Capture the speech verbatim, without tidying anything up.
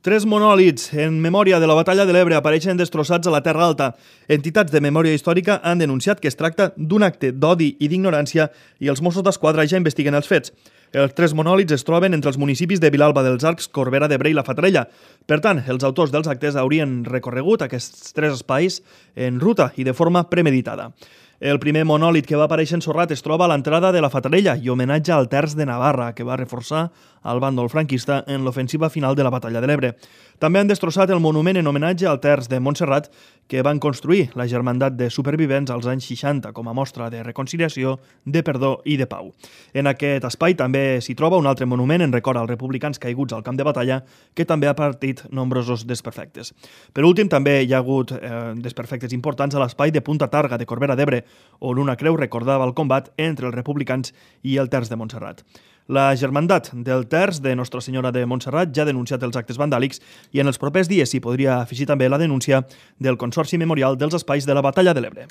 Tres monòlits en memòria de la batalla de l'Ebre apareixen destrossats a la Terra Alta. Entitats de memòria històrica han denunciat que es tracta d'un acte d'odi i d'ignorància i els Mossos d'Esquadra ja investiguen els fets. Els tres monòlits es troben entre els municipis de Vilalba dels Arcs, Corbera d'Ebre i la Fatarella. Per tant, els autors dels actes haurien recorregut aquests tres espais en ruta i de forma premeditada. El primer monòlit que va aparèixer ensorrat es troba a l'entrada de la Fatarella i homenatge al Terç de Navarra, que va reforçar el bàndol franquista en l'ofensiva final de la batalla de l'Ebre. També han destrossat el monument en homenatge al Terç de Montserrat que van construir la Germandat de Supervivents als anys seixanta com a mostra de reconciliació, de perdó i de pau. En aquest espai també s'hi troba un altre monument en record als republicans caiguts al camp de batalla que també ha partit nombrosos desperfectes. Per últim, també hi ha hagut eh, desperfectes importants a l'espai de Punta Targa de Corbera d'Ebre, on una creu recordava el combat entre els republicans i el Terç de Montserrat. La Germandat del Terç de Nostra Senyora de Montserrat ja ha denunciat els actes vandàlics i en els propers dies s'hi podria afegir també la denúncia del Consorci Memorial dels Espais de la Batalla de l'Ebre.